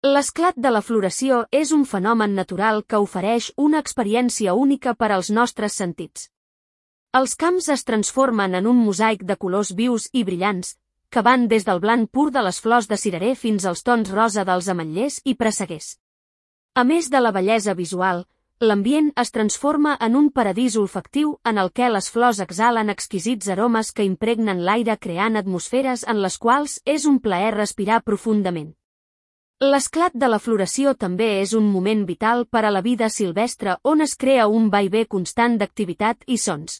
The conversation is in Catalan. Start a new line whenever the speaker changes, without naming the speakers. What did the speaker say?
L'esclat de la floració és un fenomen natural que ofereix una experiència única per als nostres sentits. Els camps es transformen en un mosaic de colors vius i brillants, que van des del blanc pur de les flors de cirerer fins als tons rosa dels ametllers i presseguers. A més de la bellesa visual, l'ambient es transforma en un paradís olfactiu en el que les flors exhalen exquisits aromes que impregnen l'aire creant atmosferes en les quals és un plaer respirar profundament. L'esclat de la floració també és un moment vital per a la vida silvestre on es crea un vaivé constant d'activitat i sons.